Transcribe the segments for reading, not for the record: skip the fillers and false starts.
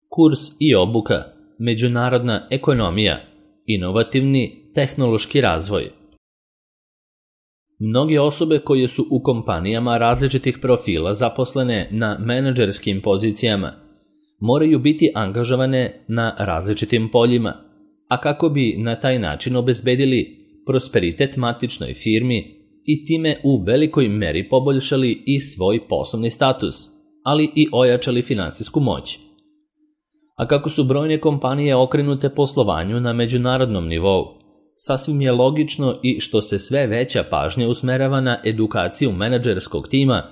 Kurs i obuka, međunarodna ekonomija, inovativni tehnološki razvoj. Mnoge osobe koje su u kompanijama različitih profila zaposlene na menadžerskim pozicijama moraju biti angažovane na različitim poljima, a kako bi na taj način obezbedili prosperitet matičnoj firmi i time u velikoj meri poboljšali i svoj poslovni status, ali i ojačali finansijsku moć. A kako su brojne kompanije okrenute poslovanju na međunarodnom nivou, sasvim je logično i što se sve veća pažnja usmerava na edukaciju menadžerskog tima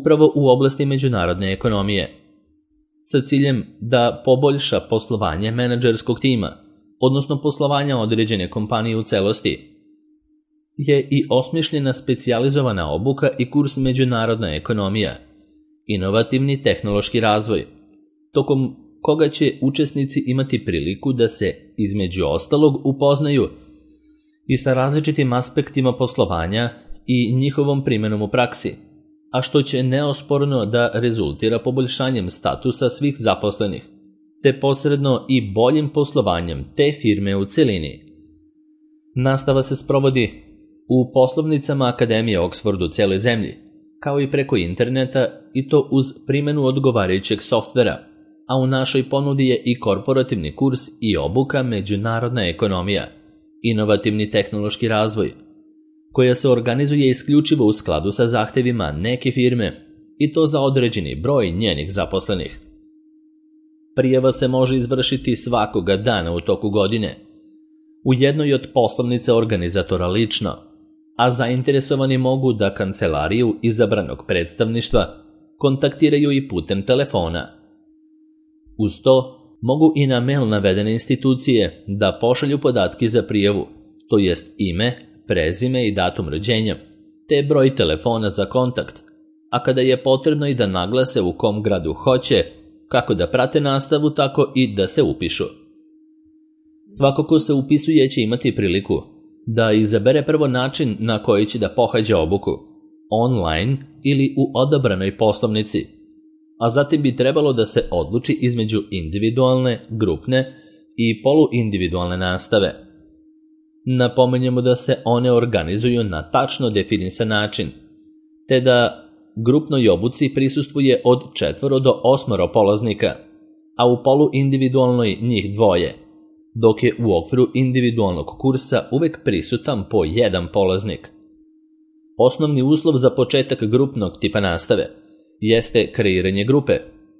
upravo u oblasti međunarodne ekonomije, sa ciljem da poboljša poslovanje menadžerskog tima, odnosno poslovanja određene kompanije u celosti, je i osmišljena specijalizovana obuka i kurs međunarodna ekonomija, inovativni tehnološki razvoj, tokom koga će učesnici imati priliku da se, između ostalog, upoznaju i sa različitim aspektima poslovanja i njihovom primjenom u praksi, a što će neosporno da rezultira poboljšanjem statusa svih zaposlenih, te posredno i boljim poslovanjem te firme u celini. Nastava se sprovodi u poslovnicama Akademije Oxford u celoj zemlji, kao i preko interneta, i to uz primjenu odgovarajućeg softvera, a u našoj ponudi je i korporativni kurs i obuka međunarodna ekonomija, inovativni tehnološki razvoj, koja se organizuje isključivo u skladu sa zahtevima neke firme i to za određeni broj njenih zaposlenih. Prijava se može izvršiti svakoga dana u toku godine, u jednoj od poslovnica organizatora lično, a zainteresovani mogu da kancelariju izabranog predstavništva kontaktiraju i putem telefona. Uz to, mogu i na mail navedene institucije da pošalju podatke za prijavu, to jest ime, prezime i datum rođenja, te broj telefona za kontakt, a kada je potrebno i da naglase u kom gradu hoće, kako da prate nastavu, tako i da se upišu. Svako ko se upisuje će imati priliku da izabere prvo način na koji će da pohađa obuku, online ili u odabranoj poslovnici, a zatim bi trebalo da se odluči između individualne, grupne i poluindividualne nastave. Napomenjemo da se one organizuju na tačno definisan način, te da grupnoj obuci prisustvuje od 4 do 8 polaznika, a u poluindividualnoj njih 2, dok je u okviru individualnog kursa uvek prisutan po 1 polaznik. Osnovni uslov za početak grupnog tipa nastave jeste kreiranje grupe,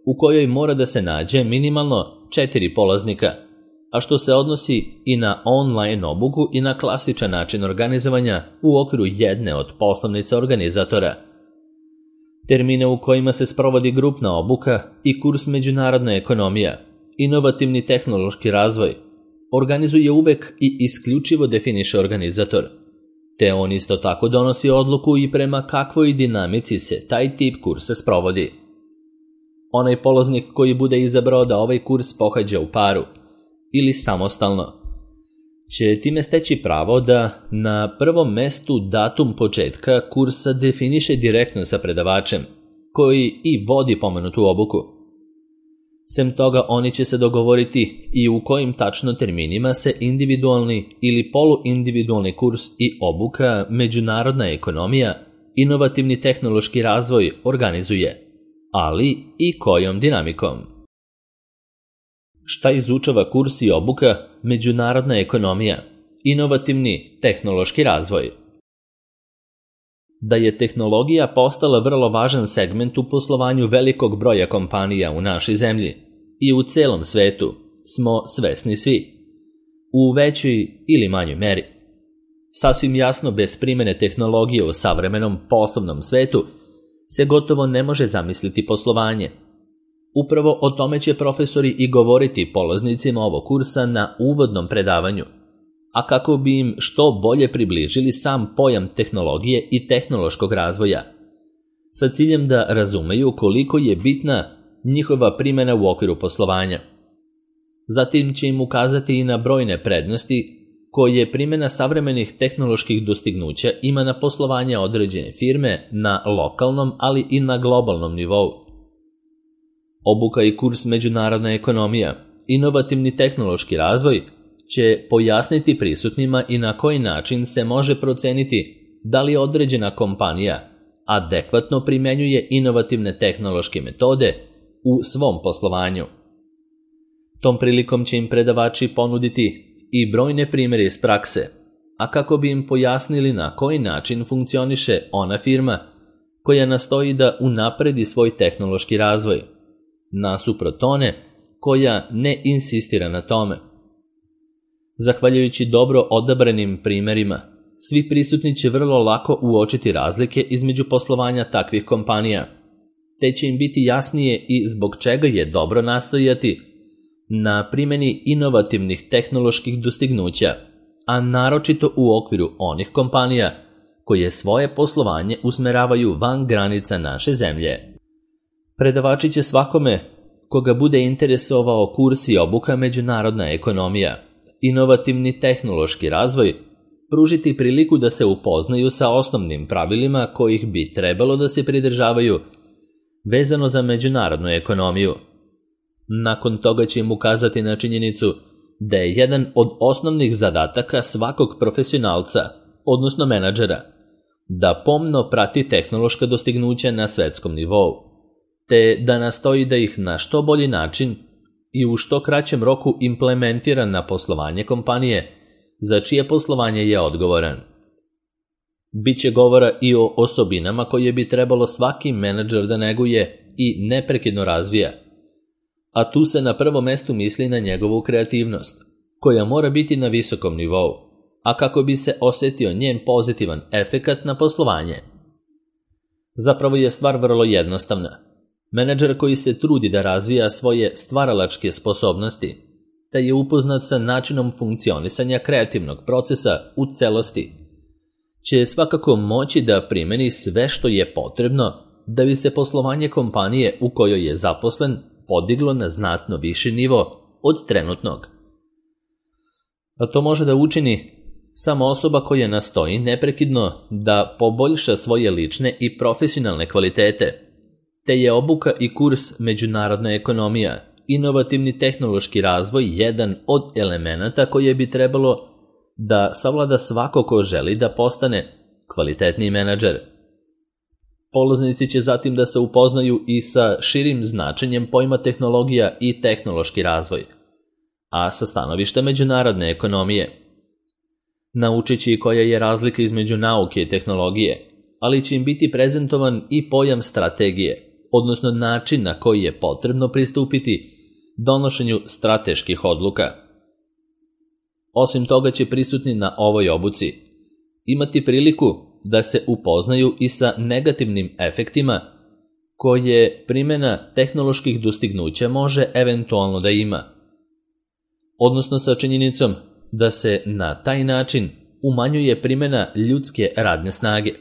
u kojoj mora da se nađe minimalno 4 polaznika, a što se odnosi i na online obuku i na klasičan način organizovanja u okviru jedne od poslovnica organizatora. Termine u kojima se sprovodi grupna obuka i kurs međunarodna ekonomija, inovativni tehnološki razvoj, organizuje uvek i isključivo definiše organizator, te on isto tako donosi odluku i prema kakvoj dinamici se taj tip kursa sprovodi. Onaj polaznik koji bude izabrao da ovaj kurs pohađa u paru ili samostalno će time steći pravo da na prvom mestu datum početka kursa definiše direktno sa predavačem, koji i vodi pomenutu obuku. Sem toga, oni će se dogovoriti i u kojim tačno terminima se individualni ili poluindividualni kurs i obuka međunarodna ekonomija, inovativni tehnološki razvoj organizuje, ali i kojom dinamikom. Šta izučava kurs i obuka međunarodna ekonomija, inovativni tehnološki razvoj? Da je tehnologija postala vrlo važan segment u poslovanju velikog broja kompanija u našoj zemlji i u celom svetu smo svesni svi, u većoj ili manjoj meri. Sasvim jasno, bez primjene tehnologije u savremenom poslovnom svetu se gotovo ne može zamisliti poslovanje. Upravo o tome će profesori i govoriti polaznicima ovog kursa na uvodnom predavanju, a kako bi im što bolje približili sam pojam tehnologije i tehnološkog razvoja, sa ciljem da razumeju koliko je bitna njihova primjena u okviru poslovanja. Zatim će im ukazati i na brojne prednosti koje primjena savremenih tehnoloških dostignuća ima na poslovanje određene firme na lokalnom, ali i na globalnom nivou. Obuka i kurs međunarodna ekonomija, inovativni tehnološki razvoj će pojasniti prisutnima i na koji način se može proceniti da li određena kompanija adekvatno primenjuje inovativne tehnološke metode u svom poslovanju. Tom prilikom će im predavači ponuditi i brojne primjere iz prakse, a kako bi im pojasnili na koji način funkcioniše ona firma koja nastoji da unapredi svoj tehnološki razvoj, nasuprot one koja ne insistira na tome. Zahvaljujući dobro odabranim primjerima, svi prisutni će vrlo lako uočiti razlike između poslovanja takvih kompanija, te će im biti jasnije i zbog čega je dobro nastojati na primjeni inovativnih tehnoloških dostignuća, a naročito u okviru onih kompanija koje svoje poslovanje usmeravaju van granica naše zemlje. Predavači će svakome koga bude interesovao kurs i obuka međunarodna ekonomija, inovativni tehnološki razvoj, pružiti priliku da se upoznaju sa osnovnim pravilima kojih bi trebalo da se pridržavaju vezano za međunarodnu ekonomiju. Nakon toga će im ukazati na činjenicu da je jedan od osnovnih zadataka svakog profesionalca, odnosno menadžera, da pomno prati tehnološka dostignuća na svetskom nivou, te da nastoji da ih na što bolji način i u što kraćem roku implementira na poslovanje kompanije, za čije poslovanje je odgovoran. Biće govora i o osobinama koje bi trebalo svaki menadžer da neguje i neprekidno razvija, a tu se na prvom mestu misli na njegovu kreativnost, koja mora biti na visokom nivou, a kako bi se osjetio njen pozitivan efekat na poslovanje. Zapravo je stvar vrlo jednostavna. Menadžer koji se trudi da razvija svoje stvaralačke sposobnosti, te je upoznat sa načinom funkcionisanja kreativnog procesa u celosti, će svakako moći da primeni sve što je potrebno da bi se poslovanje kompanije u kojoj je zaposlen podiglo na znatno viši nivo od trenutnog. A to može da učini samo osoba koja nastoji neprekidno da poboljša svoje lične i profesionalne kvalitete, te je obuka i kurs međunarodna ekonomija, inovativni tehnološki razvoj jedan od elemenata koje bi trebalo da savlada svako ko želi da postane kvalitetni menadžer. Polaznici će zatim da se upoznaju i sa širim značenjem pojma tehnologija i tehnološki razvoj, a sa stanovišta međunarodne ekonomije. Naučit će i koja je razlika između nauke i tehnologije, ali će im biti prezentovan i pojam strategije, odnosno način na koji je potrebno pristupiti donošenju strateških odluka. Osim toga će prisutni na ovoj obuci imati priliku da se upoznaju i sa negativnim efektima koje primjena tehnoloških dostignuća može eventualno da ima, odnosno sa činjenicom da se na taj način umanjuje primjena ljudske radne snage,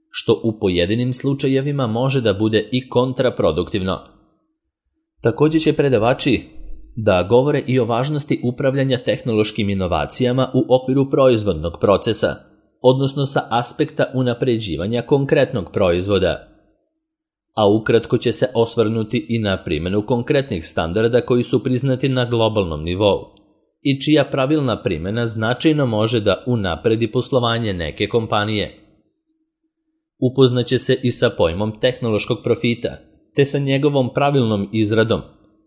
što u pojedinim slučajevima može da bude i kontraproduktivno. Također će predavači da govore i o važnosti upravljanja tehnološkim inovacijama u okviru proizvodnog procesa, odnosno sa aspekta unapređivanja konkretnog proizvoda. A ukratko će se osvrnuti i na primjenu konkretnih standarda koji su priznati na globalnom nivou i čija pravilna primjena značajno može da unapredi poslovanje neke kompanije. Upoznaće se i sa pojmom tehnološkog profita, te sa njegovom pravilnom izradom,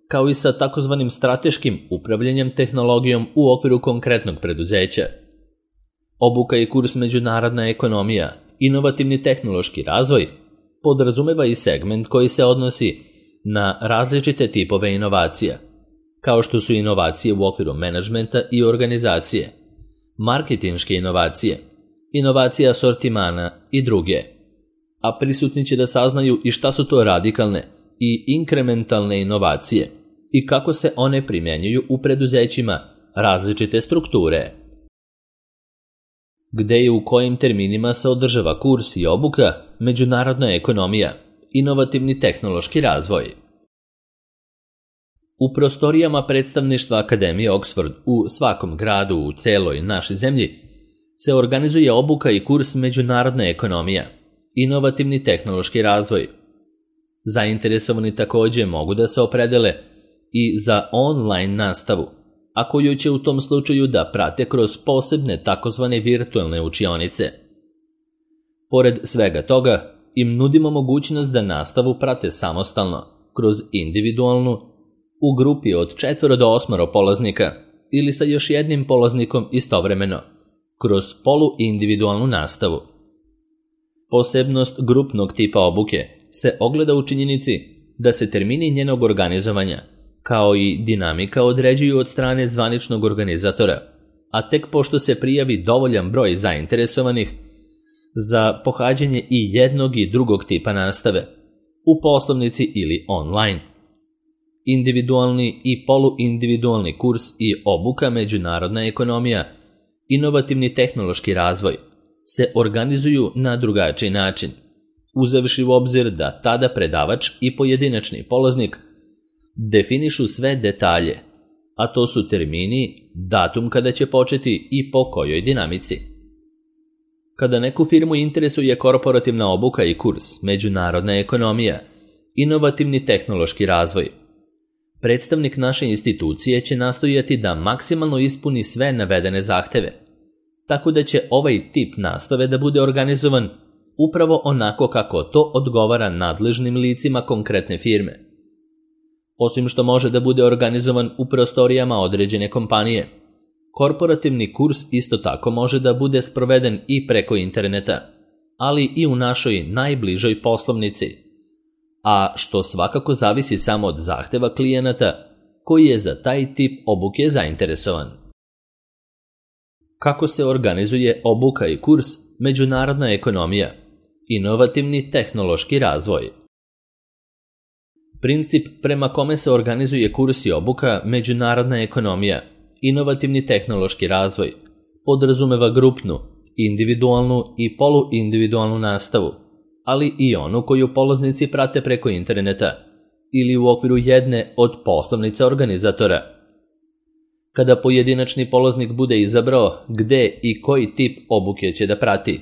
kao i sa takozvanim strateškim upravljanjem tehnologijom u okviru konkretnog preduzeća. Obuka i kurs međunarodna ekonomija, inovativni tehnološki razvoj, podrazumeva i segment koji se odnosi na različite tipove inovacija, kao što su inovacije u okviru menadžmenta i organizacije, marketinške inovacije, inovacije asortimana i druge. A prisutni će da saznaju i šta su to radikalne i inkrementalne inovacije i kako se one primjenjuju u preduzećima različite strukture. Gde i u kojim terminima se održava kurs i obuka međunarodna ekonomija, inovativni tehnološki razvoj. U prostorijama predstavništva Akademije Oxford u svakom gradu u celoj našoj zemlji se organizuje obuka i kurs međunarodna ekonomija, inovativni tehnološki razvoj. Zainteresovani također mogu da se opredele i za online nastavu, a koju će u tom slučaju da prate kroz posebne takozvane virtualne učionice. Pored svega toga, im nudimo mogućnost da nastavu prate samostalno, kroz individualnu, u grupi od 4 do 8 polaznika ili sa još jednim polaznikom istovremeno, kroz poluindividualnu nastavu. Posebnost grupnog tipa obuke se ogleda u činjenici da se termini njenog organizovanja, kao i dinamika određuju od strane zvaničnog organizatora, a tek pošto se prijavi dovoljan broj zainteresovanih za pohađanje i jednog i drugog tipa nastave, u poslovnici ili online. Individualni i poluindividualni kurs i obuka međunarodna ekonomija, inovativni tehnološki razvoj, se organizuju na drugačiji način, uzevši u obzir da tada predavač i pojedinačni polaznik definišu sve detalje, a to su termini, datum kada će početi i po kojoj dinamici. Kada neku firmu interesuje korporativna obuka i kurs, međunarodna ekonomija, inovativni tehnološki razvoj, predstavnik naše institucije će nastojati da maksimalno ispuni sve navedene zahteve, tako da će ovaj tip nastave da bude organizovan upravo onako kako to odgovara nadležnim licima konkretne firme. Osim što može da bude organizovan u prostorijama određene kompanije, korporativni kurs isto tako može da bude sproveden i preko interneta, ali i u našoj najbližoj poslovnici, a što svakako zavisi samo od zahteva klijenata koji je za taj tip obuke zainteresovan. Kako se organizuje obuka i kurs međunarodna ekonomija, inovativni tehnološki razvoj? Princip prema kome se organizuje kurs i obuka međunarodna ekonomija, inovativni tehnološki razvoj, podrazumeva grupnu, individualnu i poluindividualnu nastavu, ali i onu koju polaznici prate preko interneta ili u okviru jedne od poslovnica organizatora. Kada pojedinačni polaznik bude izabrao gde i koji tip obuke će da prati,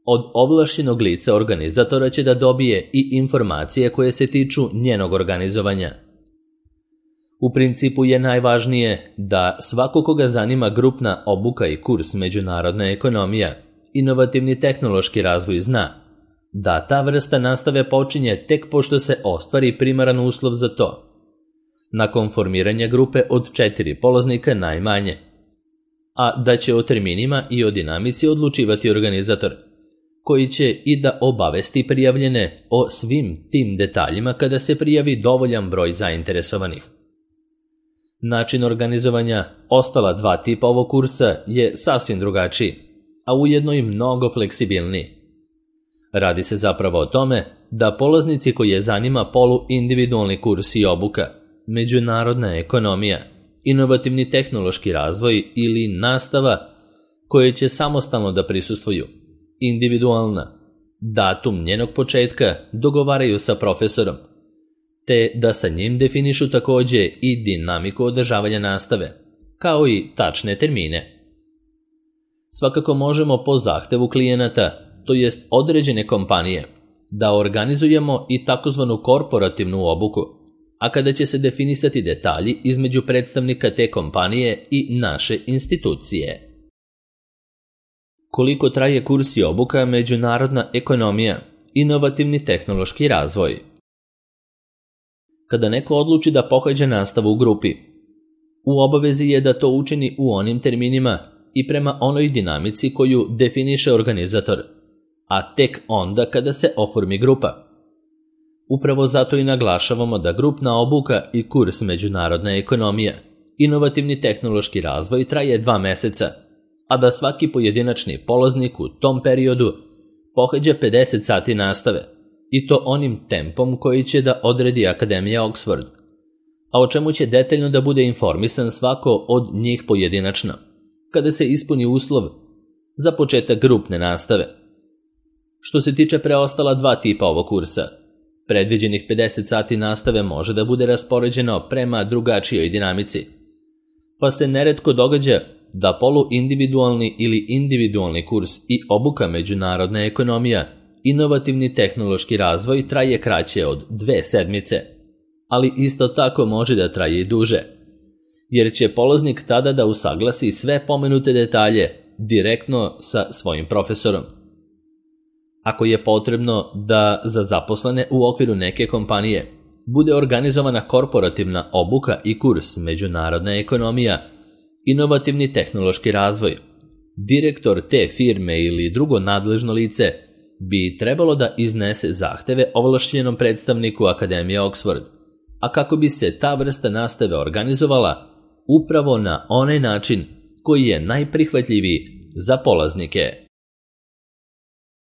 od ovlašćenog lica organizatora će da dobije i informacije koje se tiču njenog organizovanja. U principu je najvažnije da svako koga zanima grupna obuka i kurs međunarodna ekonomija, inovativni tehnološki razvoj zna da ta vrsta nastave počinje tek pošto se ostvari primaran uslov za to, nakon formiranja grupe od 4 polaznika najmanje, a da će o terminima i o dinamici odlučivati organizator, koji će i da obavesti prijavljene o svim tim detaljima kada se prijavi dovoljan broj zainteresovanih. Način organizovanja ostala 2 tipa ovog kursa je sasvim drugačiji, a ujedno i mnogo fleksibilniji. Radi se zapravo o tome da polaznici koji je zanima poluindividualni kurs i obuka, međunarodna ekonomija, inovativni tehnološki razvoj ili nastava koje će samostalno da prisustvuju, individualna, datum njenog početka dogovaraju sa profesorom, te da sa njim definišu također i dinamiku održavanja nastave, kao i tačne termine. Svakako možemo po zahtevu klijenata, to jest određene kompanije, da organizujemo i takozvanu korporativnu obuku, a kada će se definisati detalji između predstavnika te kompanije i naše institucije. Koliko traje kurs i obuka međunarodna ekonomija, inovativni tehnološki razvoj? Kada neko odluči da pohađa nastavu u grupi, u obavezi je da to učini u onim terminima i prema onoj dinamici koju definiše organizator, a tek onda kada se oformi grupa. Upravo zato i naglašavamo da grupna obuka i kurs međunarodna ekonomija, inovativni tehnološki razvoj traje 2 meseca, a da svaki pojedinačni polaznik u tom periodu pohađa 50 sati nastave, i to onim tempom koji će da odredi Akademija Oxford, a o čemu će detaljno da bude informisan svako od njih pojedinačno, kada se ispuni uslov za početak grupne nastave. Što se tiče preostala 2 tipa ovog kursa, predviđenih 50 sati nastave može da bude raspoređeno prema drugačijoj dinamici, pa se neretko događa da poluindividualni ili individualni kurs i obuka međunarodna ekonomija, inovativni tehnološki razvoj traje kraće od 2 sedmice, ali isto tako može da traje i duže, jer će polaznik tada da usaglasi sve pomenute detalje direktno sa svojim profesorom. Ako je potrebno da za zaposlene u okviru neke kompanije bude organizovana korporativna obuka i kurs međunarodna ekonomija, inovativni tehnološki razvoj, direktor te firme ili drugo nadležno lice bi trebalo da iznese zahteve ovlašćenom predstavniku Akademije Oxford, a kako bi se ta vrsta nastave organizovala upravo na onaj način koji je najprihvatljiviji za polaznike.